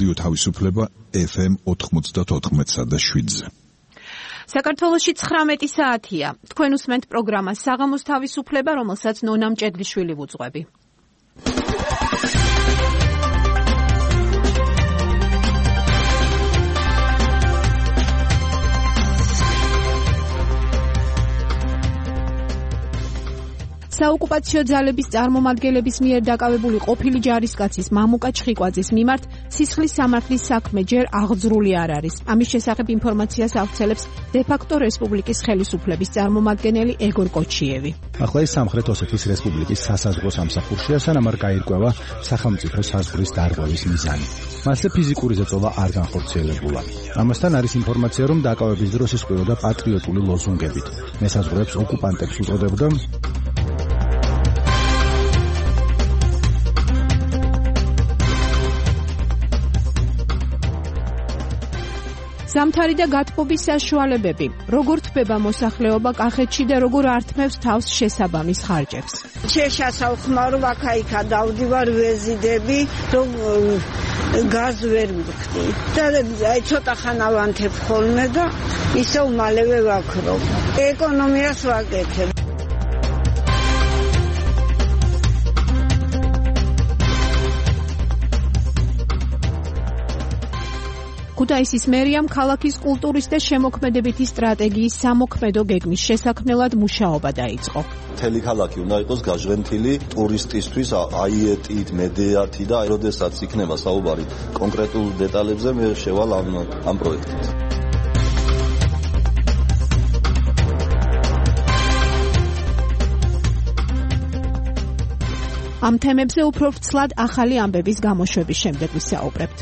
რადიო თავისუფლება FM 94.7-ზე. საქართველოში 19 საათია. თქვენ უსმენთ პროგრამას საღამოს თავისუფლება, რომელსაც ნონა მჭედლიშვილი ვუძღვები. საოკუპაციო ძალების წარმომადგენლების მიერ დაკავებული ყოფილი ჯარისკაცის მამუკა ჩხიკვაძის მიმართ სისხლის სამართლის საქმე ჯერ აღძრული არ არის. ამის შესახებ ინფორმაციას ავრცელებს დე-ფაქტო რესპუბლიკის ხელისუფლების წარმომადგენელი ეგორ კოჩიევი. ახლა ის სამხრეთ ოსეთის რესპუბლიკის სასაზღვრო სამსახურშია, სანამ არ გაირკვევა სახელმწიფო საზღვრის დარღვევის მიზანი. მასზე ფიზიკური ზეწოლა არ განხორციელებულა. ამასთან არის ინფორმაცია, რომ დაკავების დროს ისყიდოდა პატრიოტული ლოზუნგებით. მესაზღვრეებს ოკუპანტებს უწოდებდა ზამთარი და გათბობის საშუალებები. როგორ თბება მოსახლეობა კახეთში და როგორ ართმევს თავს შესაბამის ხარჯებს. შეშასალხმარო აქა-იქა დავდივარ ვეზიდები, რომ გაზ ვერ მივხდი. და აი ცოტა ხანა ვანთებ ხოლმე და ისევ მალევე ვაქრობ. ეკონომიას ვაკეთებ. ქუთაისის მერიამ ქალაქის კულტურის და შემოქმედებითი სტრატეგიის სამოქმედო გეგმის შესაქმნელად მუშაობა დაიწყო. მთელი ქალაქი უნდა იყოს გაჟღენთილი ტურისტისთვის აიეტით, მედეათი და როდესაც იქნება საუბარი კონკრეტულ დეტალებზე, მე შევალ ამ პროექტით. ამ თემებზე უფრო ვრცლად ახალი ამბების გამოშვების შემდეგ ვისაუბრებთ.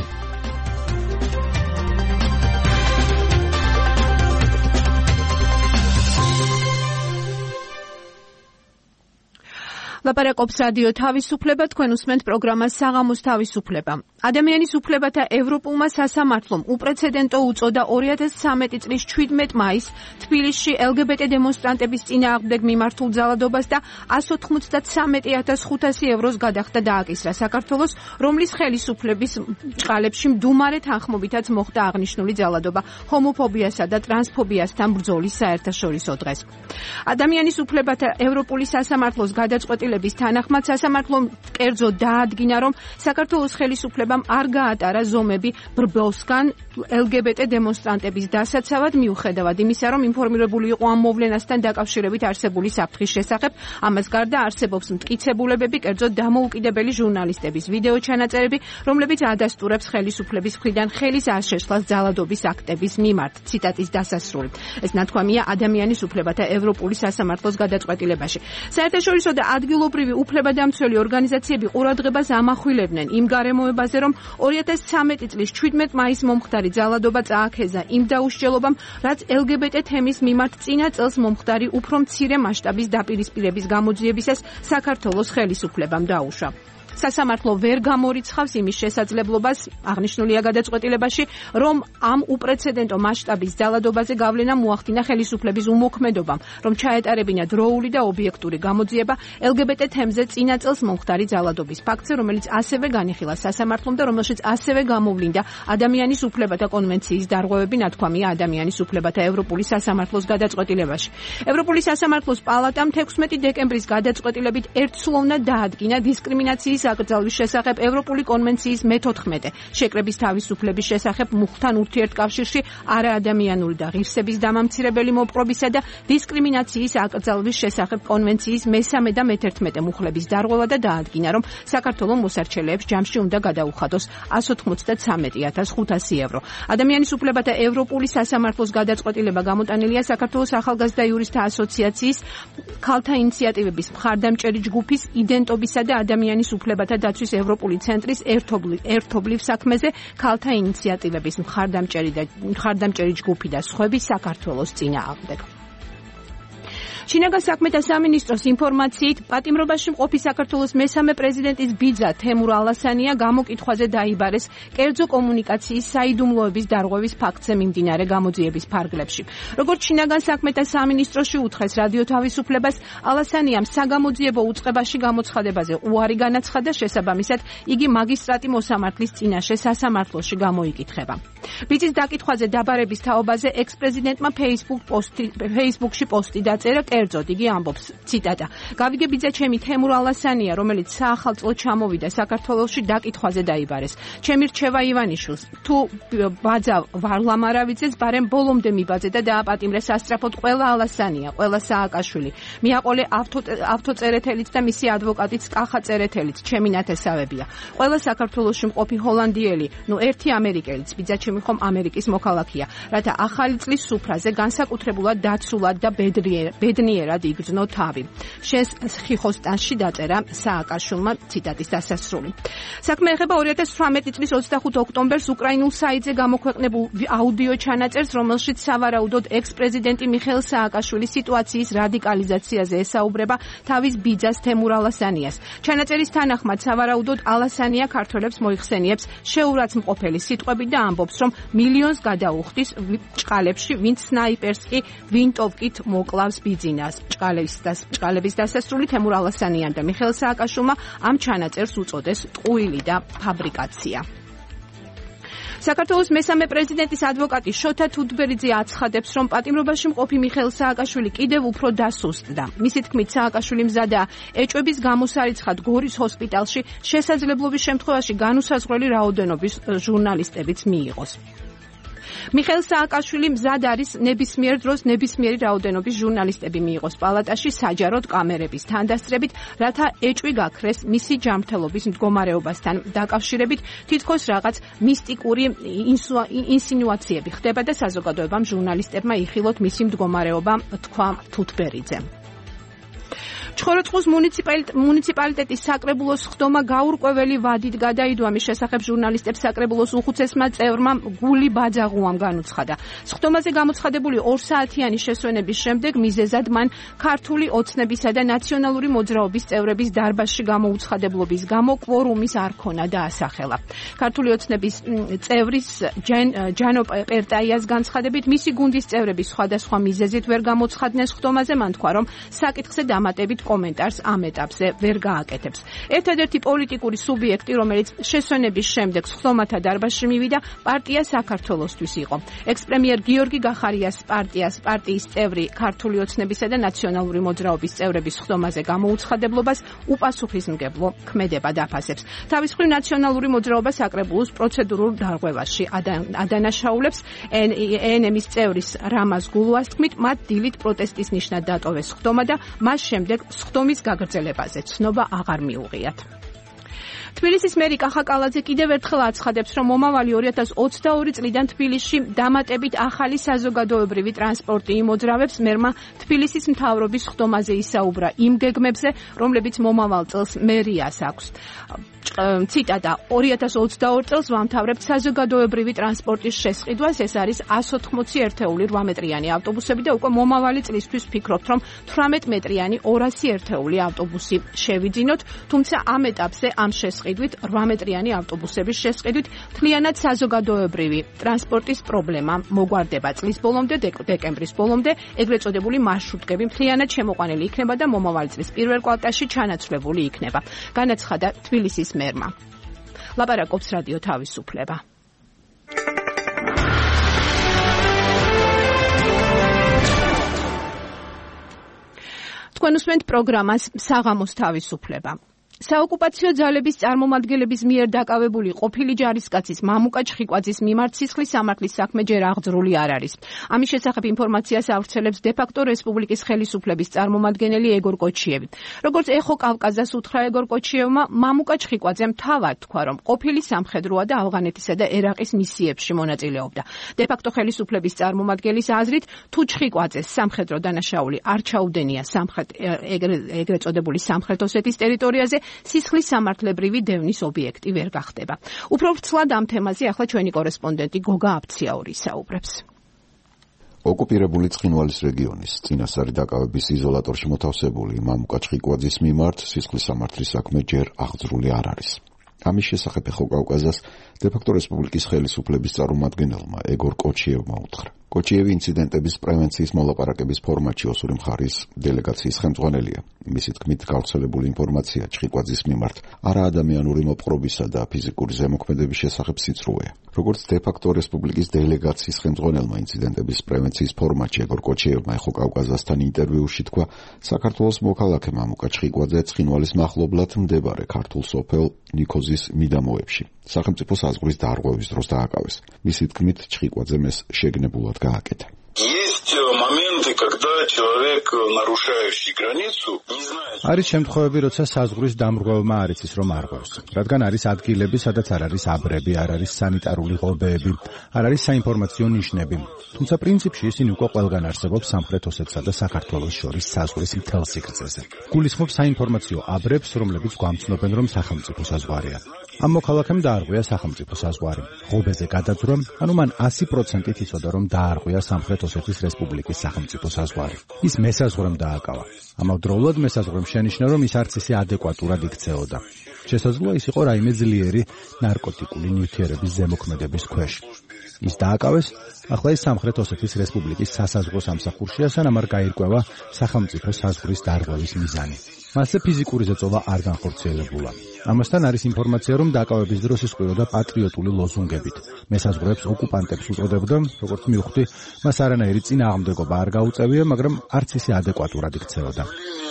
ლაპარაკობს რადიო თავისუფლება, თქვენ უსმენთ პროგრამას საღამოს თავისუფლება. ადამიანის უფლებათა ევროპულმა სასამართლომ უპრეცედენტო უწოდა 2013 წლის 17 მაისს თბილისში LGBT დემონსტრანტების წინააღმდეგ მიმართულ ძალადობას და 193,500 ევროს გადახდა დააკისრა საქართველოს, რომლის ხელისუფლების ჭყალებში მდუმარე თანხმობითაც მოხდა აღნიშნული ძალადობა ჰომოფობიასა და ტრანსფობიასთან ბრძოლის საერთაშორისო დღეს. ადამიანის უფლებათა ევროპული სასამართლოს გადაწყვეტილების თანახმად სასამართლომ კერძოდ დაადგინა, რომ საქართველოს ხელისუფლებამ არ გაატარა ზომები ბრბოვსგან LGBT დემონსტრანტების დასაცავად, მიუხედავად იმისა, რომ ინფორმირებული იყო ამ მოვლენასთან დაკავშირებით არსებული საფრთხის შესახებ. ამას გარდა არსებობს მტკიცებულებები, კერძოდ დამოუკიდებელი ჟურნალისტების ვიდეო ჩანაწერები, რომლებიც ადასტურებს ხელისუფლების მხრიდან ხელის აშეშლას ძალადობის აქტების მიმართ. ციტატის დასასრული. ეს ნათქვამია ადამიანის უფლებათა ევროპული სასამართლოს გადაწყვეტილებაში. საერთაშორისო და ადგილობრივი უფლებადამცველი ორგანიზაციები ყურადღებას ამახვილებდნენ იმ გარემოებაზე, რომ 2013 წლის 17 მაისს მომხდარი ძალადობა წააქეზა იმ დაუსჯელობამ, რაც LGBT თემის მიმართ წინა წელს მომხდარი უფრო მცირე მასშტაბის დაპირისპირების გამოძიებისას საქართველოს ხელისუფლებამ დაუშვა. სასამართლო ვერ გამორიცხავს იმის შესაძლებლობას, აღნიშნულია გადაწყვეტილებაში, რომ ამ უპრეცედენტო მასშტაბის ძალადობაზე გავლენა მოახდინა ხელისუფლების უმოქმედობამ, რომ ჩაეტარებინა დროული და ობიექტური გამოძიება LGBT თემზე წინა წელს მომხდარი ძალადობის ფაქტზე, რომელიც ასევე განიხილა სასამართლომ და რომელშიც ასევე გამოვლინდა ადამიანის უფლებათა კონვენციის დარღვევები, ნათქვამია ადამიანის უფლებათა ევროპული სასამართლოს გადაწყვეტილებაში. ევროპული სასამართლოს პალატამ 16 დეკემბრის გადაწყვეტილებით ერთსულოვნად დაადგინა დისკრიმინაციის აკრძალვის შესახებ ევროპული კონვენციის მე-14 შეკრების თავისუფლების შესახებ მუხთან ურთიერთკავშირში არაადამიანური და ღირსების დამამცირებელი მოპყრობისა და დისკრიმინაციის აკრძალვის შესახებ კონვენციის მე-3 და მე-11 მუხლების დარღვევა და დაადგინა, რომ საქართველოს მოსარჩელეებს ჯამში უნდა გადაუხადოს 193,500 евро. ადამიანის უფლებათა ევროპული სასამართლოს გადაწყვეტილება გამოტანილია საქართველოს ახალგაზრდა იურისტთა ასოციაციის, ქალთა ინიციატივების მხარდამჭერი ჯგუფის, იდენტობისა და ადამიანის უფლებათა დაცვის ევროპული ცენტრის ერთობლივ საქმეზე ქალთა ინიციატივების მხარდამჭერი ჯგუფი და სხვები საქართველოს წინააღმდეგ. შინაგან საქმეთა სამინისტროს ინფორმაციით, პატიმრობაში მყოფი საქართველოს მესამე პრეზიდენტის ბიძა თემურ ალასანია გამოკითხვაზე დაიბარეს კერძო კომუნიკაციის საიდუმლოების დარღვევის ფაქტზე მიმდინარე გამოძიების ფარგლებში. როგორც შინაგან საქმეთა სამინისტროში უთხრეს რადიო თავისუფლებას, ალასანიამ საგამოძიებო უწყებაში გამოცხადებაზე უარი განაცხადა, შესაბამისად, იგი მაგისტრატი მოსამართლის წინაშე სასამართლოში გამოიკითხება. ბიძის დაკითხვაზე დაბარების თაობაზე ექს-პრეზიდენტმა Facebook-ში პოსტი დაწერა, კერძოდ იგი ამბობს, ციტატა: "გავიგე ბიძა ჩემი თემურ ალასანია, რომელიც საახალწლოდ ჩამოვიდა საქართველოში, დაკითხვაზე დაიბარეს. ჩემი რჩევა ივანიშვილს, თუ ბაძა ვარლამ არავიძეს, ბარემ ბოლომდე მიბაძე და დააპატიმრეს ასწრაფოდ ყველა ალასანია, ყველა სააკაშვილი. მიაყოლე ავთოწერეთელიც და მისი ადვოკატიც კახა წერეთელიც, ჩემი ნათესავებია. ყველა საქართველოში მყოფი ჰოლანდიელი, ერთი ამერიკელიც, ბიძა ჩემი ხომ ამერიკის მოქალაქეა, რათა ახალი წლის სუფრაზე განსაკუთრებულად დაცულად და ბედნიერად იგრძნო თავი." შენს ხიხოსტანში დაწერა სააკაშვილმა, ციტატის დასასრული. საქმე ეხება 2018 წლის 25 ოქტომბერს უკრაინულ საიტზე გამოქვეყნებულ აუდიო ჩანაწერს, რომელშიც სავარაუდოდ ექს-პრეზიდენტი მიხეილ სააკაშვილის სიტუაციის რადიკალიზაციაზე ესაუბრება თავის ბიძას თემურ ალასანიას. ჩანაწერის თანახმად სავარაუდოდ ალასანია ქართველებს მოიხსენიებს შეურაცხმყოფელი სიტყვებით და ამბობს, რომ მილიონს გადაუხდის ჭყალებში, ვინც სნაიპერს კი ვინტოვკით მოკლავს ბიძინას. ჭყალების დასასრული თემურ ალასანიამ და მიხეილ სააკაშვილმა ამ ჩანაწერს უწოდეს ტყუილი და ფაბრიკაცია. საქართველოს მესამე პრეზიდენტის ადვოკატი შოთა თუდბერიძე აცხადებს, რომ პატიმრობაში მყოფი მიხეილ სააკაშვილი კიდევ უფრო დასუსტდა. მისი თქმით, სააკაშვილი მზადაა ეჭვების გამოსარიცხად გორის ჰოსპიტალში, შესაძლებლობის შემთხვევაში განუსაზღვრელი რაოდენობის ჟურნალისტებიც მიიღოს. მიხეილ სააკაშვილი მზად არის ნებისმიერ დროს ნებისმიერი რაოდენობის ჟურნალისტები მიიღოს პალატაში საჯაროდ კამერების თანდასწრებით, რათა ეჭვი გაქრეს მისი ჯანმრთელობის მდგომარეობასთან დაკავშირებით, თითქოს რაღაც მისტიკური ინსინუაციები ხდება და საზოგადოებამ ჟურნალისტებმა იხილოთ მისი მდგომარეობა, თქვა თუთბერიძემ. ჩხოროწყუს მუნიციპალიტეტის საკრებულოს ხდომა გაურკვეველი ვადით გადაიდო. ამის შესახებ ჟურნალისტებს საკრებულოს უხუცესმა წევრმა გული ბაძაღუამ განუცხადა. ხდომაზე გამოცხადებული 2 საათიანი შესვენების შემდეგ მიზეზად მან ქართული ოცნებისა და ნაციონალური მოძრაობის წევრების დარბაზში გამოუცხადებლობის გამო კვორუმის არ ქონა დაასახელა. ქართული ოცნების წევრის ჯანო პერტაიას განცხადებით, მისი გუნდის წევრები სხვადასხვა მიზეზით ვერ გამოცხადნეს ხდომაზე, მან თქვა, რომ საკითხზე დამატებით კომენტარს ამ ეტაპზე ვერ გააკეთებს. ერთადერთი პოლიტიკური სუბიექტი, რომელიც შესვენების შემდეგ ხდომათა დარბაზში მივიდა, პარტია საქართველოსთვის იყო. ექს-პრემიერ გიორგი გახარიას პარტიის წევრი ქართული ოცნებისა და ნაციონალური მოძრაობის წევრების ხდომაზე გამოუცხადებლობას უპასუხისმგებლო ქმედება დაფასებს. თავის მხრივ ნაციონალური მოძრაობა საკრებულოს პროცედურულ დარღვევაში ადანაშაულებს. ENM-ის წევრის რამაზ გულუას თქმით, მათ დილით პროტესტის ნიშნად დატოვეს ხდომა და მას შემდეგ სხდომის გაგრძელებაზე ცნობა აღარ მიუღიათ. თბილისის მერი კახა კალაძე კიდევ ერთხელ აცხადებს, რომ მომავალი 2022 წლიდან თბილისში დამატებით ახალი საზოგადოებრივი ტრანსპორტი იმოძრავებს. მერმა თბილისის მთავრობის ხდომაზე ისაუბრა იმ გეგმებზე, რომლებიც მომავალ წელს მერიას აქვს. ციტატა: 2022 წელს ვამთავრებთ საზოგადოებრივი ტრანსპორტის შესყიდვას, ეს არის 180 ერთეული 8 მეტრიანი ავტობუსები და უკვე მომავალი წლისთვის ვფიქრობთ, რომ 18 მეტრიანი 200 ერთეული ავტობუსი შევიძინოთ, თუმცა ამ ეტაპზე ამ შესყიდვით 8 მეტრიანი ავტობუსების შესყიდვით მთლიანად საზოგადოებრივი ტრანსპორტის პრობლემა მოგვარდება. წლის ბოლომდე, დეკემბრის ბოლომდე ეგრეთ წოდებული მარშრუტკები მთლიანად შემოყვანილი იქნება და მომავალი წლის პირველ კვარტალში ჩანაცვლებული იქნება, განაცხადა თბილისის მერმა. ლაპარაკობს რადიო თავისუფლება. თქვენ უსმენთ პროგრამას საღამოს თავისუფლება. საოკუპაციო ძალების წარმომადგენლების მიერ დაკავებული ყოფილი ჯარისკაცის მამუკა ჩხიკვაძის მიმართ სისხლის სამართლის საქმე ჯერ აღძრული არ არის. ამის შესახებ ინფორმაციას ავრცელებს დე-ფაქტო რესპუბლიკის ხელისუფლების წარმომადგენელი ეგორ კოჩიევი. როგორც ეხო კავკაზას უთხრა ეგორ კოჩიევმა, მამუკა ჩხიკვაძემ თავად თქვა, რომ ყოფილი სამხედროა და ავღანეთისა და ერაყის მისიებში მონაწილეობდა. დე-ფაქტო ხელისუფლების წარმომადგენლის აზრით, თუ ჩხიკვაძეს სამხედრო დანაშაული არ ჩაუდენია ეგრეთ წოდებული სამხრეთ ოსეთის ტერიტორიაზე, სისხლის სამართლებრივი დევნის ობიექტი ვერ გახდება. უფრო ვრცლად ამ თემაზე ახლა ჩვენი კორესპონდენტი გოგა აფციაური საუბრებს. ოკუპირებული ცხინვალის რეგიონის წინასწარი დაკავების იზოლატორში მოთავსებული მამუკა ჩხიკვაძის მიმართ სისხლის სამართლის საქმე ჯერ აღძრული არ არის. ამის შესახებ ხოკავკაზას დე-ფაქტო რესპუბლიკის ხელისუფლების წარმომადგენელმა ეგორ კოჩიევმა უთხრა. კოჩიევი ინციდენტების პრევენციის მოლაპარაკების ფორმატში ოსური მხარის დელეგაციის ხელმძღვანელია. მისი თქმით, გავრცელებული ინფორმაცია ჩხიკვაძის მიმართ არაადამიანური მოპყრობისა და ფიზიკური ზემოქმედების შესახებ სიცრუეა. როგორც დე-ფაქტო რესპუბლიკის დელეგაციის ხელმძღვანელმა ინციდენტების პრევენციის ფორმატში ეგორ კოჩიევმა ხოკავკაზასთან ინტერვიუში თქვა, საქართველოს მოქალაქე მამუკა ჩხიკვაძე ცხინვალის მახლობლად მდებარე ქართულ სოფელ ნიქოზის მიდამოებში სახელმწიფო საზღვრის დარღვევის დროს დააკავეს. მისი თქმით, ჩხიკვაძემ ეს შეგნებულად გააკეთა. Есть моменты, когда человек, нарушающий границу, не знает. არის შემთხვევები, როცა საზღვრის დამრღვევმა არ იცის რომ არღვევს, რადგან არის ადგილები, სადაც არ არის აბრები, არ არის სანიტარული ღობეები, არ არის საინფორმაციო ნიშნები. თუმცა პრინციპში ისინი უკვე ყველგან არსებობს სამხრეთ ოსეთსა და საქართველოს შორის საზღვრის მთელ სიგრძეზე. გულისხმობს საინფორმაციო აბრებს, რომლებიც გვამცნობენ, რომ სახელმწიფო საზღვარია. ამ მოქალაქემ დაარღვია სახელმწიფო საზღვარი. ღობეზე გადაძვრა, ანუ მან 100%-ით იცოდა, რომ დაარღვია სამხრეთ ოსეთის რესპუბლიკის სახელმწიფო საზღვარი. ის მესაზღვრემ დააკავა. ამავდროულად მესაზღვრემ შენიშნა, რომ ის არც ისე ადეკვატურად იქცეოდა. შესაძლოა ის იყო რაიმე ძლიერი ნარკოტიკული ნივთიერების ზემოქმედების ქვეშ. ის დააკავეს, ახლა ის სამხრეთ ოსეთის რესპუბლიკის სასაზღვრო სამსახურშია, სანამ არ გაირკვევა სახელმწიფო საზღვრის დარღვევის მიზანი. მასზე ფიზიკური ზეწოლა არ განხორციელებულა. ამასთან არის ინფორმაცია, რომ დაკავების დროს ის ყუროდა პატრიოტული ლოზუნგებით. მესაზღვრეებს ოკუპანტებს უწოდებდა, როგორც მივხვდი, მას არანაირი წინააღმდეგობა არ გაუწევია, მაგრამ არც ისე ადეკვატურად იქცეოდა.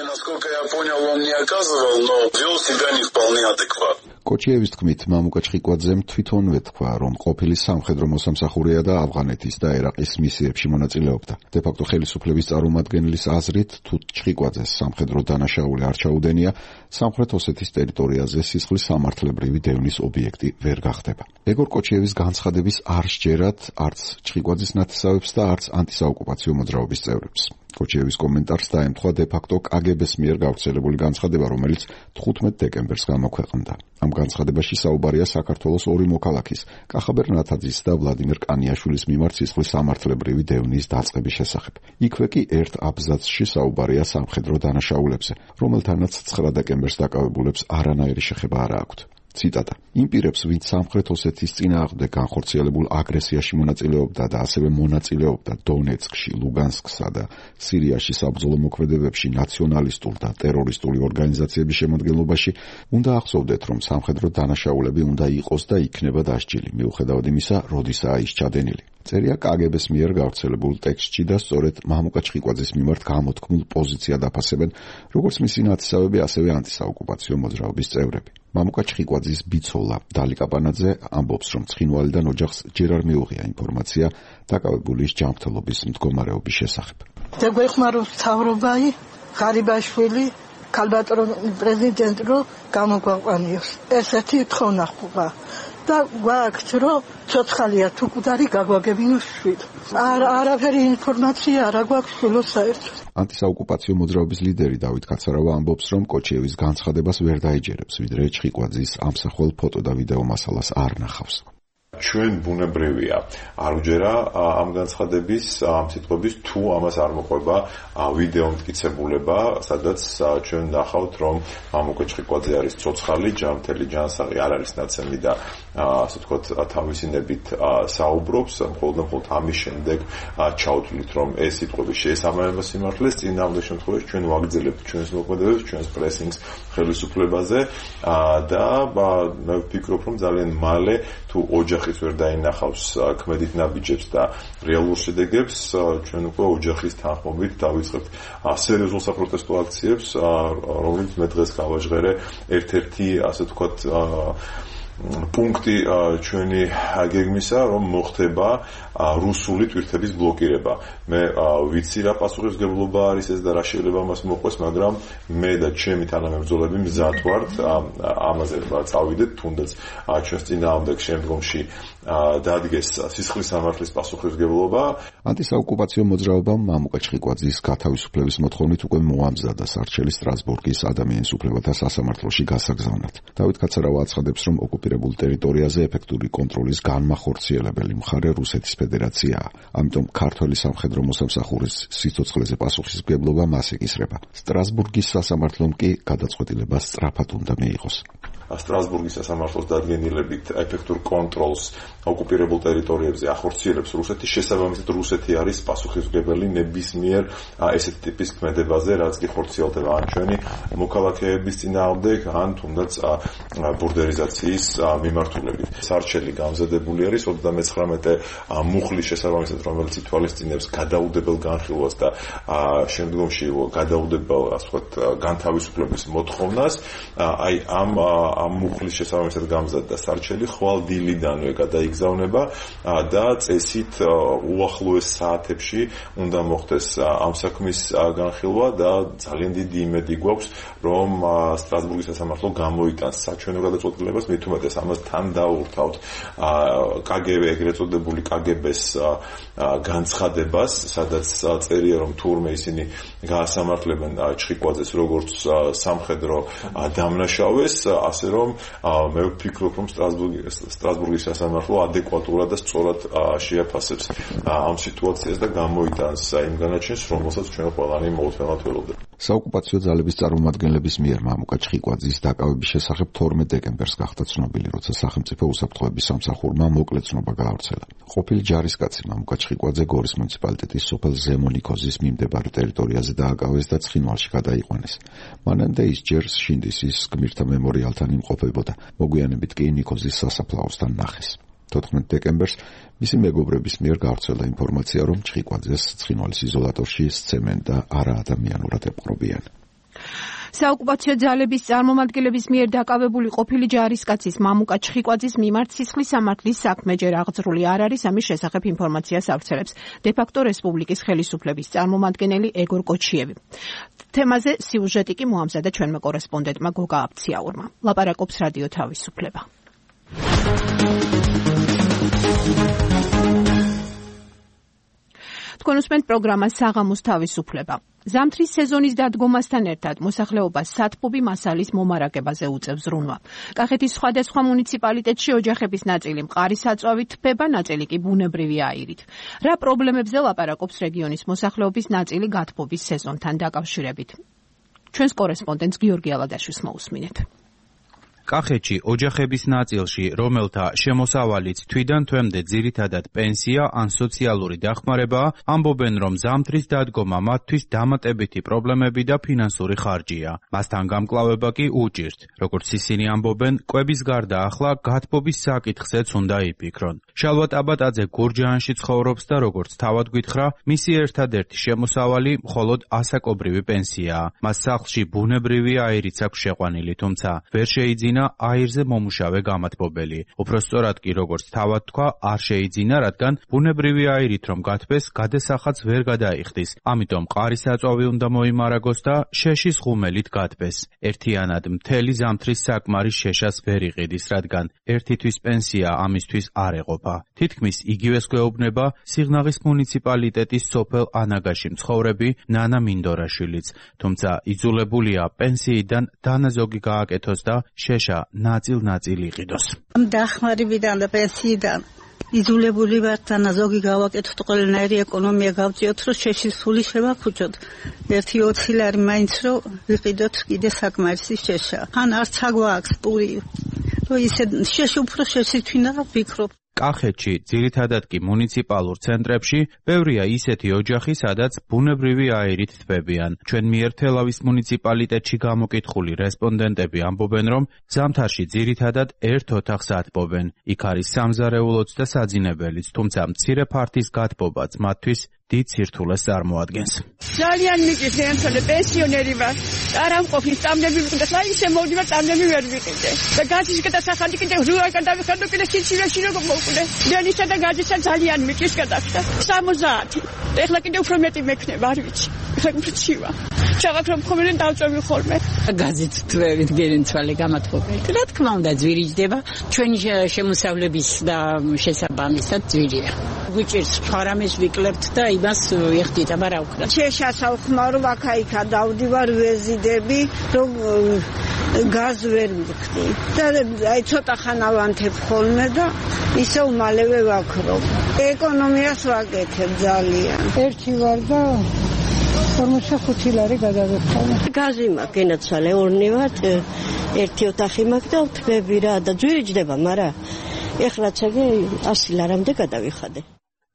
Насколько я понял, он не оказывал, но вел себя не вполне адекватно. კოჩიევის თქმით, მამუკა ჩხიკვაძემ თვითონვე თქვა, რომ ყოფილი სამხედრო მოსამსახურეა და ავღანეთის და ერაყის მისიებში მონაწილეობდა. დე-ფაქტო ხელისუფლების წარმომადგენლის აზრით, თუ ჩხიკვაძეს სამხედრო დანაშაული არ ჩაუდენია, სამხრეთ ოსეთის ტერიტორიაზე სისხლის სამართლებრივი დევნის ობიექტი ვერ გახდება. ეგორ კოჩიევის განცხადების არ სჯერათ არც ჩხიკვაძის ნათესავებს და არც ანტისაოკუპაციო მოძრაობის წევრებს. კოჩიევის კომენტარს დაემთხვა დე-ფაქტო კგბ-ს მიერ გავრცელებული განცხადება, რომელიც 15 დეკემბერს გამოქვეყნდა. ამ განცხადებაში საუბარია საქართველოს ორი მოქალაქის, კახაბერ ნათაძის და ვლადიმერ კანიაშვილის მიმართ სისხლის სამართლებრივი დევნის დაწყების შესახებ. იქვე კი ერთ აბზაცში საუბარია სამხედრო დანაშაულებზე, რომელთანაც 9 დეკემბერს დაკავებულებს არანაირი შეხება არ აქვთ. ციტატა: იმ პირებს, ვინც სამხრეთ ოსეთის წინააღმდეგ განხორციელებულ აგრესიაში მონაწილეობდა და ასევე მონაწილეობდა დონეცკში, ლუგანსკსა და სირიაში საბრძოლო მოქმედებებში ნაციონალისტურ და ტერორისტული ორგანიზაციების შემადგენლობაში, უნდა ახსოვდეთ, რომ სამხედრო დანაშაულები უნდა იყოს და იქნება დასჯილი, მიუხედავად იმისა, როდისაა ის ჩადენილი. წერია კგბ-ს მიერ გავრცელებულ ტექსტში და სწორედ მამუკა ჩხიკვაძის მიმართ გამოთქმულ პოზიციად აფასებენ როგორც მისი ნათესავები, ასევე ანტისაოკუპაციო მოძრაობის წევრები. მამუკა ჩხიკვაძის ბიცოლა დალი კაპანაძე ამბობს, რომ ცხინვალიდან ოჯახს ჯერ არ მიუღია ინფორმაცია დაკავებულის ჯანმრთელობის მდგომარეობის შესახებ. დაგვეხმაროს მთავრობაი ღარიბაშვილი ქალბატონ პრეზიდენტ რო გამოგვაყვანიოს. ესეთი თხოვნა ხდება. და გვაქვს რომ ცოცხალია თუ კუდარი გაგვაგებინოს შვილი. არაფერი ინფორმაცია არ გვაქვს სულო საერთოდ. ანტისაოკუპაციო მოძრაობის ლიდერი დავით კაცარავა ამბობს, რომ კოჩიევის განცხადებას ვერ დაიჯერებს, ვიდრე ჩხიკვაძის ამსახველ ფოტო და ვიდეო მასალას არ ნახავს. ჩვენ ბუნებრივია არ უჯერა ამ განცხადების ამ სიტყვების თუ ამას არ მოყვება ვიდეო მტკიცებულება, სადაც ჩვენ ნახავთ, რომ მამუკა ჩხიკვაძე არის ცოცხალი, ჯანმრთელი ჯანსაღი, არ არის ნაცემი და ასე ვთქვათ თავისინებით საუბრობს. მხოლოდ ამის შემდეგ ჩავთვლით, რომ ეს სიტყვები შეესაბამება სიმართლეს. წინააღმდეგ შემთხვევაში ჩვენ ვაგრძელებთ ჩვენს მოქმედებებს, ჩვენს პრესინგს ხელისუფლებაზე და მე ვფიქრობ, რომ ძალიან მალე თუ ოჯახის ვერ დაინახავს ქმედით ნაბიჯებს და რეალურ შედეგებს, ჩვენ უკვე ოჯახის თანხმობით დავიწყებთ სერიოზულ საპროტესტო აქციებს, რომელიც მე დღეს გავაჟღერე ერთ-ერთი ასე ვთქვათ პუნქტი ჩვენი გეგმისა, რომ მოხდება რუსული ტვირთების ბლოკირება. მე ვიცი რა პასუხისმგებლობა არის ეს და რა შეიძლება მას მოყვეს, მაგრამ მე და ჩემი თანამებრძოლები მზად ვართ ამაზე წავიდეთ, თუნდაც ჩვენს წინააღმდეგ შემდგომში დადგეს სისხლის სამართლის პასუხისმგებლობა. ანტისაოკუპაციო მოძრაობამ მამუკა ჩხიკვაძის გათავისუფლების მოთხოვნით უკვე მოამზადა სარჩელი სტრასბურგის ადამიანის უფლებათა სასამართლოში გასაგზავნად. დავით კაცარავა აცხადებს, რომ ოკუპირებულ ტერიტორიაზე ეფექტური კონტროლის განმახორციელებელი მხარე რუსეთის ფედერაციაა. ამიტომ ქართველი სამხედრო მოსამსახურის სიცოცხლეზე პასუხისმგებლობა მას ეკისრება. სტრასბურგის სასამართლომ კი გადაწყვეტილება სწრაფად უნდა მიიღოს. სტრასბურგის სასამართლოს დადგენილებით ეფექტურ კონტროლს ოკუპირებულ ტერიტორიებზე ახორციელებს რუსეთი, შესაბამისად რუსეთი არის პასუხისმგებელი ნებისმიერ ესეთ ტიპის ქმედებაზე, რაც კი ხორციელდება ან ჩვენი მოქალაქეების წინააღმდეგ, ან თუნდაც ბურდერიზაციის მიმართულებით. სარჩელი გამზადებული არის 39 მუხლის შესაბამისად, რომელიც ითვალისწინებს გადაუდებელ განხილვას და შემდგომში გადაუდებელ, ასე ვთქვათ, განთავისუფლების მოთხოვნას. აი ამ მუხლის შესაბამისად გამზადდა სარჩელი ხვალ დილიდანვე გადაიგზავნება და წესით უახლოეს საათებში უნდა მოხდეს ამ საქმის განხილვა და ძალიან დიდი იმედი გვაქვს, რომ სტრასბურგის სასამართლო გამოიტანს საჩვენო გადაწყვეტილებას, მით უმეტეს ამას თან დაურთავთ KGB, ეგრეთ წოდებული KGB-ს განცხადებას, სადაც წერია, რომ თურმე ისინი გაასამართლებენ ჩხიკვაძეს როგორც სამხედრო დამნაშავეს, ასე რომ მე ვფიქრობ, რომ სტრასბურგის სასამართლო ადეკვატურად და სწორად შეაფასებს ამ სიტუაციას და გამოიტანს იმ განაჩენს, რომელსაც ჩვენ ყველანი მოუთმენლად ველოდებით. საოკუპაციო ძალების წარმომადგენლების მიერ მამუკა ჩხიკვაძის დაკავების შესახებ 12 დეკემბერს გახდა ცნობილი, როცა სახელმწიფო უსაფრთხოების სამსახურმა მოკლე ცნობა გაავრცელა. ყოფილი ჯარისკაცი მამუკა ჩხიკვაძე გორის მუნიციპალიტეტის სოფელ ზემონიქოზის მიმდებარე ტერიტორიაზე დააკავეს და ცხინვალში გადაიყვანეს. მანამდე ის ჯერ შინდისის გმირთა მემორიალთან იმყოფებოდა, მოგვიანებით კი ნიქოზის სასაფლაოსთან ნახეს. 14 დეკემბერს მისი მეგობრების მიერ გავრცელდა ინფორმაცია, რომ ჩხიკვაძეს ცხინვალის იზოლატორში სცემენ და არაადამიანურად ეპყრობიან. საოკუპაციო ძალების წარმომადგენლების მიერ დაკავებული ყოფილი ჯარისკაცის მამუკა ჩხიკვაძის მიმართ სისხლის სამართლის საქმე ჯერ აღძრული არ არის, ამის შესახებ ინფორმაციას ავრცელებს დე-ფაქტო რესპუბლიკის ხელისუფლების წარმომადგენელი ეგორ კოჩიევი. თემაზე სიუჟეტი კი მოამზადა ჩვენმა კორესპონდენტმა გოგა აფციაურმა. ლაპარაკობს რადიო თავისუფლება. თქვენ უსმენთ პროგრამას საღამოს თავისუფლება. ზამთრის სეზონის დადგომასთან ერთად მოსახლეობას სათბობი მასალის მომარაგებაზე უწევს ზრუნვა. კახეთის სხვადასხვა მუნიციპალიტეტში ოჯახების ნაწილი მყარის აწვავით თბება, ნაწილი კი ბუნებრივი აირით. რა პრობლემებზე ლაპარაკობს რეგიონის მოსახლეობის ნაწილი გათბობის სეზონთან დაკავშირებით? ჩვენს კორესპონდენტს გიორგი ალადაშვილს მოусმინეთ. კახეთში ოჯახების ნაწილში, რომელთა შემოსავალიც თვიდან თვემდე ძირითადად პენსია ან სოციალური დახმარებაა, ამბობენ, რომ ზამთრის დადგომა მათთვის დამატებითი პრობლემები და ფინანსური ხარჯია. მასთან გამკლავება კი უჭირთ. როგორც ისინი ამბობენ, კვების გარდა ახლა გათბობის საკითხზეც უნდა იფიქრონ. შალვა ტაბატაძე გურჯაანში ცხოვრობს და როგორც თავად გითხრა, მისი ერთადერთი შემოსავალი მხოლოდ ასაკობრივი პენსიაა. მას სახლში ბუნებრივი აირიც აქვს შეყვანილი, თუმცა ვერ შეიძინა აირზე მომუშავე გამათბობელი. უფრო სწორად კი, როგორც თავად თქვა, არ შეიძინა, რადგან ბუნებრივი აირით რომ გათბეს, გადასახადს ვერ გადაიხდის. ამიტომ მყარის აწვავი უნდა მოიმარაგოს და შეშის ღუმელით გათბეს. ერთიანად მთელი ზამთრის საკმარის შეშას ვერ იყიდის, რადგან ერთი თვის პენსია ამისთვის არ ეყოფა. თითქმის იგივეს გვეუბნება სიღნაღის მუნიციპალიტეტის სოფელ ანაგაში მცხოვრები ნანა მინდორაშვილიც, თუმცა იძულებულია პენსიიდან დანაზოგი გააკეთოს და შეშა ნაწილ-ნაწილ იყიდოს. დახმარებიდან და პენსიიდან იძულებული ვართ დანაზოგი გავაკეთოთ, ყველანაირი ეკონომია გავწიოთ, რომ შეშის ფული შევაფუჭოთ. 1-20 ლარი მაინც რომ ვიყიდოთ კიდე საკმარისი შეშა. ან არც აგვაქვს პური. რომ ისე შეში უფრო შეშითვინა ვფიქრობ. კახეთში, ძირითადად კი მუნიციპალურ ცენტრებში, ბევრია ისეთი ოჯახი, სადაც ბუნებრივი აირით თბებიან. ჩვენ მიერ თელავის მუნიციპალიტეტში გამოკითხული რესპონდენტები ამბობენ, რომ ზამთარში ძირითადად ერთ ოთახს ათბობენ. იქ არის სამზარეულოც და საძინებელიც, თუმცა მცირე ფართის გათბობაც მათთვის დიდ სირთულეს წარმოადგენს. ძალიან მიგის ემთხვე პენსიონერი ვარ. არ ამყოფი სტამნები ვიყიდე, და ისე მოვდივარ სტამნები ვერ ვიყიდე. და გაძის გადასახადი კიდე რუა გადავიხადო კიდე სიცივეში როგორ მოვკვდე. დენისა და გაძისა ძალიან მიგის გადახდა. 70. ეხლა კიდე უფრო მეტი მექნება, არ ვიცი. ეხლა უფრო ჩივა. ჩავაქრობ ხოლმე დავწევი ხოლმე. გაზით თვევით გერინცვალე გამათბობელი. რა თქმა უნდა ძვირიჯდება, ჩვენი შემოსავლების და შესაბამისად ძვირია. გვიჭირს ფარამეს ვიკლებთ და იმას ვიხდით, მაგრამ რა ვქნა. შეშასავ ხმარო აქა-იქა დავდივარ ვეზიდები, რომ გაზ ვერ მივხდი და აი ცოტა ხანა ვანთებ ხოლმე და ისევ მალევე ვაქრობ. ეკონომიას ვაკეთებ ძალიან. ერთი ვარ და 45 ლარი გადავიხვალე. გაზი მაქვს, გენაცვალე, ორნი ვართ, ერთი ოთახი მაქვს და თბები რა და ძვირი ჯდება, მაგრამ ეხლაც ეგ 100 ლარამდე გადავიხადე.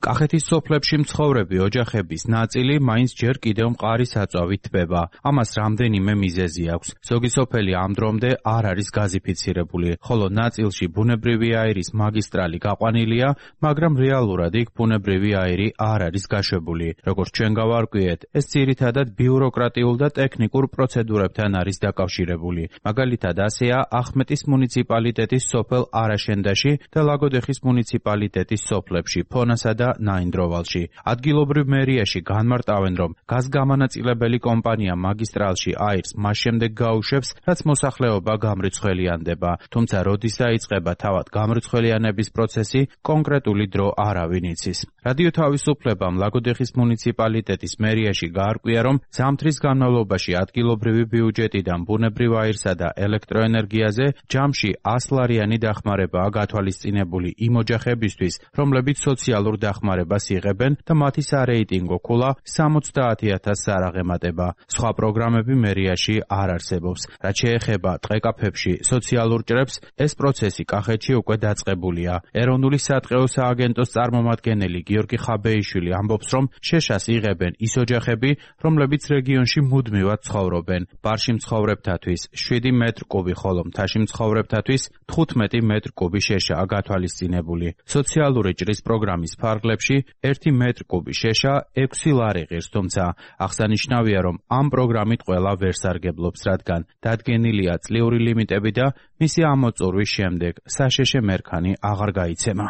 კახეთის სოფლებში მცხოვრები ოჯახების ნაწილი მაინც ჯერ კიდევ მყარი საწვავით თბება. ამას რამდენიმე მიზეზი აქვს. ზოგი სოფელი ამ დრომდე არ არის გაზიფიცირებული, ხოლო ნაწილში ბუნებრივი აირის მაგისტრალი გაყვანილია, მაგრამ რეალურად იქ ბუნებრივი აირი არ არის გაშვებული. როგორც ჩვენ გავარკვიეთ, ეს ძირითადად ბიუროკრატიულ და ტექნიკურ პროცედურებთან არის დაკავშირებული. მაგალითად, ასეა ახმეტის მუნიციპალიტეტის სოფელ არაშენდაში და ლაგოდეხის მუნიციპალიტეტის სოფლებში, ფონასა და ნაინდროვალში. ადგილობრივ მერიაში განმარტავენ, რომ გაზგამანაწილებელი კომპანია მაგისტრალში აირს მას შემდეგ გაუშვებს, რაც მოსახლეობა გამრიცხველიანდება. თუმცა როდის დაიწყება თავად გამრიცხველიანების პროცესი, კონკრეტული დრო არავინ იცის. რადიო თავისუფლებამ ლაგოდეხის მუნიციპალიტეტის მერიაში გაარკვია, რომ ზამთრის განმავლობაში ადგილობრივი ბიუჯეტიდან ბუნებრივ აირსა და ელექტროენერგიაზე ჯამში 100 ლარიანი დახმარებაა გათვალისწინებული იმ ოჯახებისთვის, რომლებიც სოციალურ დახმარებას იღებენ და მათი სარეიტინგო ქულა 70,000-ს არ აღემატება. სხვა პროგრამები მერიაში არ არსებობს. რაც შეეხება ტყეკაფებში სოციალურ ჭრებს, ეს პროცესი კახეთში უკვე დაწყებულია. ეროვნული სატყეო სააგენტოს წარმომადგენელი გიორგი ხაბეიშვილი ამბობს, რომ შეშას იღებენ ის ოჯახები, რომლებიც რეგიონში მუდმივად ცხოვრობენ. ბარში მცხოვრებთათვის 7 მეტრ კუბი, ხოლო მთაში მცხოვრებთათვის 15 მეტრ კუბი შეშაა გათვალისწინებული. სოციალური ჭრის პროგრამის ფარგლებში 1 მეტრ კუბი შეშა 6 ლარი ღირს, თუმცა აღსანიშნავია, რომ ამ პროგრამით ყველა ვერ სარგებლობს, რადგან დადგენილია წლიური ლიმიტები და მისი ამოწურვის შემდეგ საშეშე მერქანი აღარ გაიცემა.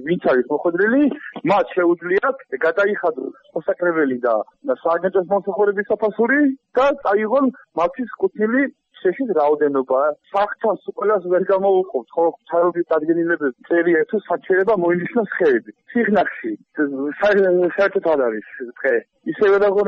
ვინც არის მოხვედრილი, მათ შეუძლიათ გადაიხადოს მოსაკრებელი და სააგენტოს მომსახურების საფასური და წაიღონ მათთვის კუთვნილი შეშის რაოდენობა. საფრთხეს ყველას ვერ გამოვუყობთ, ხო, ჩარობის დადგენილებები წერია თუ საჩერება მოინიშნოს ხეები. სიღნაღში საერთოდ არ არის დღე. ისევე როგორ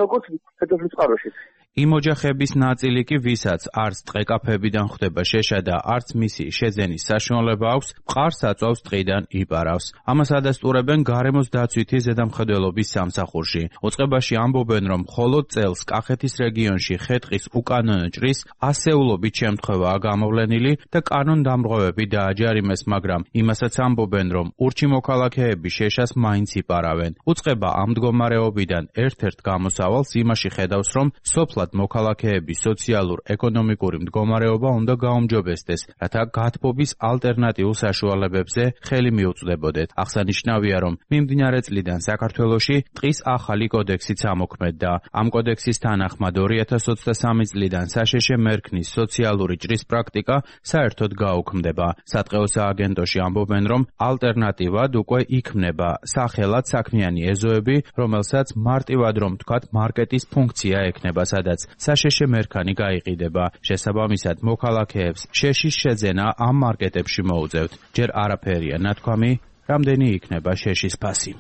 ფედერალურ წყაროში. იმ ოჯახების ნაწილი კი, ვისაც არც ტყეკაფებიდან ხვდება შეშა და არც მისი შეძენის საშუალება აქვს, მყარს აწვავს ტყიდან იპარავს. ამას ადასტურებენ გარემოს დაცვითი ზედამხედველობის სამსახურში. უწყებაში ამბობენ, რომ მხოლოდ წელს კახეთის რეგიონში ხე-ტყის უკანონო ჭრის ასეულობით შემთხვევაა გამოვლენილი და კანონდამრღვევები დააჯარიმეს, მაგრამ იმასაც ამბობენ, რომ ურჩი მოქალაქეები შეშას მაინც იპარავენ. უწყება ამ მდგომარეობიდან ერთ-ერთ გამოსავალს იმაში ხედავს, რომ სოფლად მოქალაქეების სოციალურ-ეკონომიკური მდგომარეობა უნდა გაუმჯობესდეს, რათა გათბობის ალტერნატიულ საშუალებებზე ხელი მიუწვდებოდეთ. აღსანიშნავია, რომ მიმდინარე წლიდან საქართველოში ტყის ახალი კოდექსიც ამოქმედდა. ამ კოდექსის თანახმად 2023 წლიდან საშეშე მერქნის სოციალური ჭრის პრაქტიკა საერთოდ გაუქმდება. სატყეო სააგენტოში ამბობენ, რომ ალტერნატივად უკვე იქმნება სახელად საქმიანი ეზოები, რომელსაც მარტივად რომ თქვათ მარკეტის ფუნქცია ექნება, სადაც საშეშე მერქანი გაიყიდება. შესაბამისად, მოქალაქეებს შეშის შეძენა ამ მარკეტებში მოუწევთ. ჯერ არაფერია ნათქვამი, რამდენი იქნება შეშის ფასი.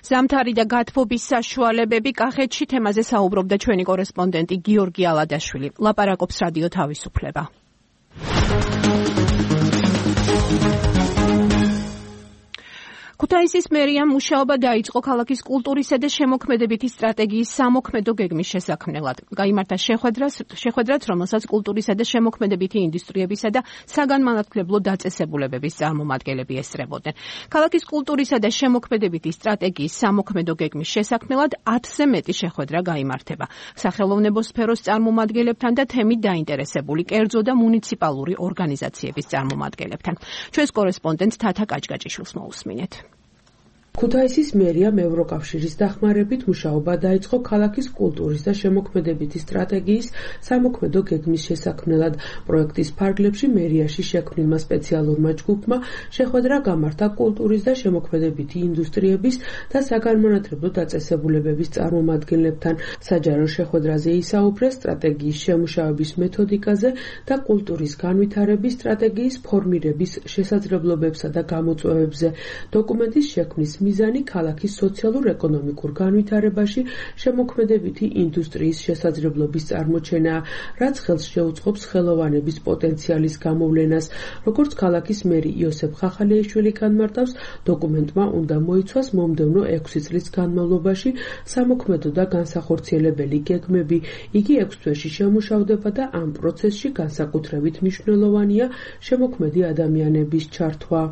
ზამთარი და გათბობის საშუალებები კახეთში თემაზე საუბრობდა ჩვენი კორესპონდენტი გიორგი ალადაშვილი. ლაპარაკობს რადიო თავისუფლება. ქუთაისის მერიამ მუშაობა დაიწყო ქალაქის კულტურისა და შემოქმედებითი სტრატეგიის სამოქმედო გეგმის შესაქმნელად. გაიმართა შეხვედრაც, რომელსაც კულტურისა და შემოქმედებითი ინდუსტრიებისა და საგანმანათლებლო დაწესებულებების წარმომადგენლები ესწრებოდნენ. ქალაქის კულტურისა და შემოქმედებითი სტრატეგიის სამოქმედო გეგმის შესაქმნელად 10-ზე მეტი შეხვედრა გაიმართება. სახელოვნებო სფეროს წარმომადგენლებთან და თემით დაინტერესებული კერძო და მუნიციპალური ორგანიზაციების წარმომადგენლებთან. ჩვენს კორესპონდენტ თათა კაჭკაჭიშვილს მოусმინეთ. ქუთაისის მერიამ ევროკავშირის დახმარებით მუშაობა დაიწყო ქალაქის კულტურის და შემოქმედებითი სტრატეგიის სამოქმედო გეგმის შესაქმნელად. პროექტის ფარგლებში მერიაში შექმნილმა სპეციალურმა ჯგუფმა შეხვედრა გამართა კულტურის და შემოქმედებითი ინდუსტრიების და საგანმანათლებლო დაწესებულებების წარმომადგენლებთან. საჯარო შეხვედრაზე ისაუბრეს სტრატეგიის შემუშავების მეთოდიკაზე და კულტურის განვითარების სტრატეგიის ფორმირების შესაძლებლობებსა და გამოწვევებზე. დოკუმენტის შექმნის მიზანი ქალაქის სოციალურ-ეკონომიკურ განვითარებაში შემოქმედებითი ინდუსტრიის შესაძლებლობის წარმოჩენაა, რაც ხელს შეუწყობს ხელოვანების პოტენციალის გამოვლენას. როგორც ქალაქის მერი იოსებ ხახალიაშვილი განმარტავს, დოკუმენტმა უნდა მოიცვას მომდევნო 6 წლის განმავლობაში სამოქმედო და განსახორციელებელი გეგმები. იგი 6 თვეში შემუშავდება და ამ პროცესში განსაკუთრებით მნიშვნელოვანია შემოქმედი ადამიანების ჩართვა.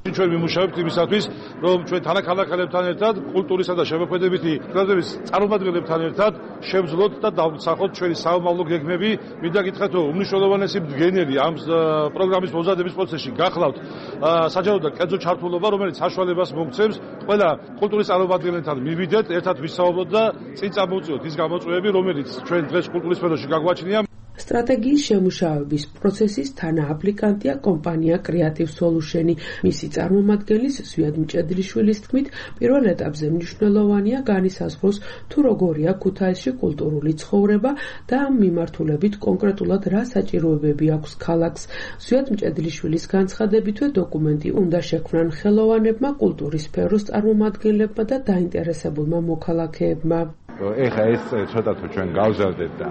ჩვენ ვიმუშავებთ იმისათვის, რომ ჩვენ თანაქალაქელებთან ერთად, კულტურისა და შემოქმედებითი პროცესების წარმომადგენლებთან ერთად შევძლოთ და დავსახოთ ჩვენი საომავლო გეგმები. მინდა გითხრათ, რომ უმნიშვნელოვანესი მდგენელი ამ პროგრამის მომზადების პროცესში გახლავთ საჯარო და კერძო ჩართულობა, რომელიც საშუალებას მოგცემს ყველა კულტურის წარმომადგენელთან მივიდეთ, ერთად ვისაუბროთ და წინ წამოვწიოთ ის გამოწვევები, რომელიც ჩვენ დღეს კულტურის სფეროში გაგვაჩნია. სტრატეგიის შემუშავების პროცესის თანააპლიკანტია კომპანია Creative Solution-ი. მისი წარმომადგენლის ზვიად მჭედლიშვილის თქმით, პირველ ეტაპზე მნიშვნელოვანია განისაზღვროს თუ როგორია ქუთაისში კულტურული ცხოვრება და ამ მიმართულებით კონკრეტულად რა საჭიროებები აქვს ქალაქს. ზვიად მჭედლიშვილის განცხადებითვე დოკუმენტი უნდა შექმნან ხელოვანებმა, კულტურის სფეროს წარმომადგენლებმა და დაინტერესებულმა მოქალაქეებმა. ეხა ეს ცოტა თუ ჩვენ გავზარდეთ და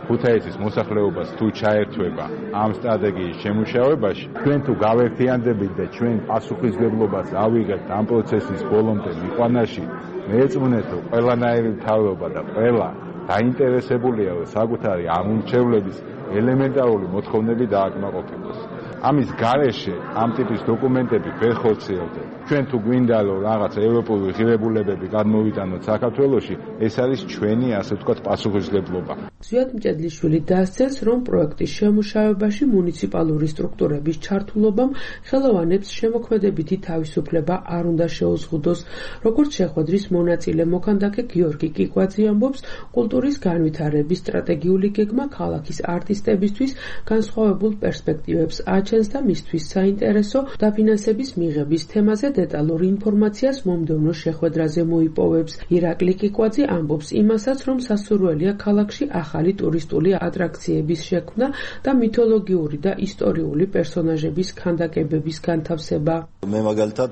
ქუთაისის მოსახლეობას თუ ჩაერთვება ამ სტრატეგიის შემუშავებაში, ჩვენ თუ გავერთიანდებით და ჩვენ პასუხისმგებლობას ავიღებთ ამ პროცესის ბოლომდე მიყვანაში, მეეწუნეთ, რომ ყველანაირი მთავრობა და ყველა დაინტერესებულია, რომ საკუთარი ამ უმრჩევლების ელემენტარული მოთხოვნები დააკმაყოფილოს. ამის გარეშე ამ ტიპის დოკუმენტები ვერ ხორციელდება. ჩვენ თუ გვინდა რომ რაღაც ევროპული ღირებულებები გადმოვიტანოთ საქართველოში, ეს არის ჩვენი, ასე ვთქვათ, პასუხისმგებლობა. ზვიად მჭედლიშვილი დასცეს, რომ პროექტის შემუშავებაში მუნიციპალური სტრუქტურების ჩართულობამ ხელოვანებს შემოქმედებითი თავისუფლება არ უნდა შეუზღუდოს. როგორც შეხვედრის მონაწილე მოქანდაკე გიორგი კიკვაძე ამბობს, კულტურის განვითარების სტრატეგიული გეგმა ქალაქის არტისტებისთვის განსხვავებულ პერსპექტივებს აჩენს და მისთვის საინტერესო დაფინანსების მიღების თემაზე დეტალურ ინფორმაციას მომდევნო შეხვედრაზე მოიპოვებს. ირაკლი კიკვაძე ამბობს იმასაც, რომ სასურველია ქალაქში ახალი ტურისტული ატრაქციების შექმნა და მითოლოგიური და ისტორიული პერსონაჟების ქანდაკებების განთავსება. მე მაგალითად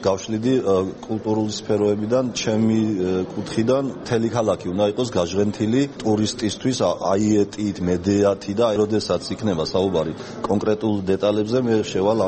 გავშლიდი კულტურული სფეროებიდან, ჩემი კუთხიდან მთელი ქალაქი უნდა იყოს გაჟღენთილი ტურისტისთვის აიეტით, მედეათი და როდესაც იქნება საუბარი კონკრეტულ დეტალებზე მე შევალ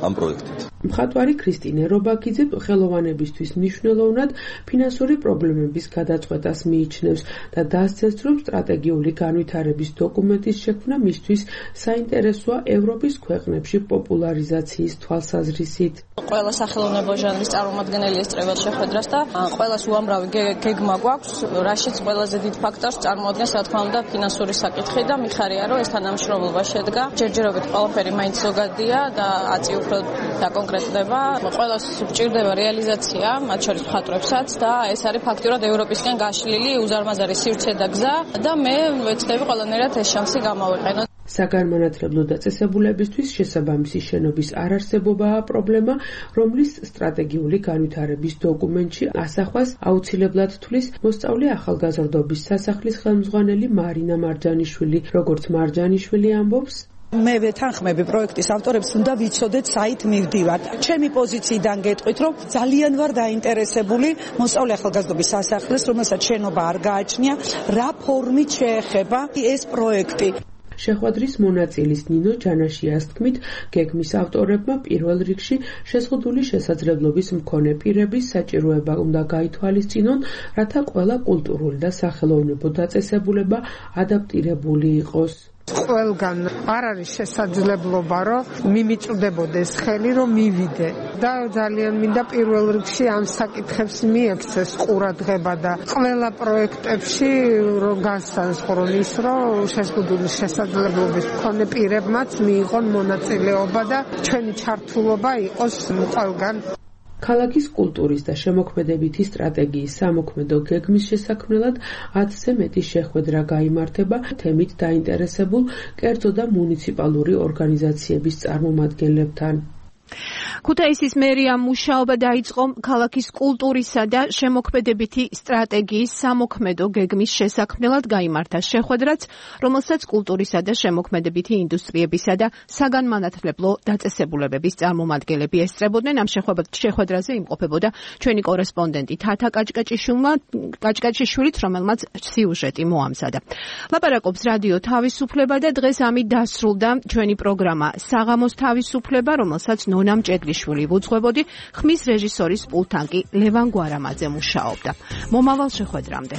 ამ პროექტით. მხატვარი ქრისტინე რობაქიძე ხელოვანებისთვის მნიშვნელოვნად ფინანსური პრობლემების გადაწყვეტას მიიჩნევს და დასცეს, რომ სტრატეგიული განვითარების დოკუმენტის შექმნა მისთვის საინტერესოა ევროპის ქვეყნებში პოპულარიზაციის თვალსაზრისით. ყველა სახელოვნებო ჟანრის წარმომადგენელი ესწრებათ შეხვედრას და ყველას უამრავი გეგმა გვაქვს, რაშიც ყველაზე დიდ ფაქტორს წარმოადგენს, რა თქმა უნდა, ფინანსური საკითხი და მიხარია, რომ ეს თანამშრომლობა შედგა. ჯერჯერობით ყველაფერი მაინც ზოგადია და აწი უფრო დაკონკრეტდება. ყველას გვჭირდება რეალიზაცია, მათ შორის მხატვრებსაც და ეს არის ფაქტურად ევროპისკენ გაშლილი უზარმაზარი სივრცე და გზა და მე ვეცდები ყველანაირად ეს შანსი გამოვიყენო. საგანმანათლებლო დაწესებულებისთვის შესაბამისი შენობის არარსებობაა პრობლემა, რომლის სტრატეგიული განვითარების დოკუმენტში ასახვას აუცილებლად თვლის მოსწავლე ახალგაზრდობის სასახლის ხელმძღვანელი მარინა მარჯანიშვილი. როგორც მარჯანიშვილი ამბობს, მე ვეთანხმები პროექტის ავტორებს, უნდა ვიცოდეთ საით მივდივართ. ჩემი პოზიციიდან გეტყვით, რომ ძალიან ვარ დაინტერესებული მოსწავლე ახალგაზრდობის სასახლეს, რომელსაც შენობა არ გააჩნია, რა ფორმით შეეხება ეს პროექტი. შეხვედრის მონაწილის ნინო ჯანაშიას თქმით, გეგმის ავტორებმა პირველ რიგში შეზღუდული შესაძლებლობის მქონე პირების საჭიროება უნდა გაითვალისწინონ, რათა ყველა კულტურული და სახელოვნებო დაწესებულება ადაპტირებული იყოს. ყველგან არ არის შესაძლებლობა, რომ მიმიწვდებოდეს ხელი, რომ მივიდე და ძალიან მინდა პირველ რიგში ამ საკითხებს მიექცეს ყურადღება და ყველა პროექტებში რომ განსაზღვრო ის, რომ შეზღუდული შესაძლებლობის მქონე პირებმაც მიიღონ მონაწილეობა და ჩვენი ჩართულობა იყოს ყველგან. ქალაქის კულტურის და შემოქმედებითი სტრატეგიის სამოქმედო გეგმის შესაქმნელად 10-ზე მეტი შეხვედრა გაიმართება თემით დაინტერესებულ კერძო და მუნიციპალური ორგანიზაციების წარმომადგენლებთან. ქუთაისის მერიამ მუშაობა დაიწყო ქალაქის კულტურისა და შემოქმედებითი სტრატეგიის სამოქმედო გეგმის შესაქმნელად გაიმართა შეხვედრაც, რომელსაც კულტურისა და შემოქმედებითი ინდუსტრიებისა და საგანმანათლებლო დაწესებულებების წარმომადგენლები ესწრებოდნენ. ამ შეხვედრაზე იმყოფებოდა ჩვენი კორესპონდენტი თათა კაჭკაჭიშვილით, რომელმაც სიუჟეტი მოამზადა. ლაპარაკობს რადიო თავისუფლება და დღეს ამით დასრულდა ჩვენი პროგრამა საღამოს თავისუფლება, რომელსაც ნონა მჭედლიშვილი ვუძღვებოდი, ხმის რეჟისორის პულტთან კი ლევან გვარამაძე მუშაობდა. მომავალ შეხვედრამდე.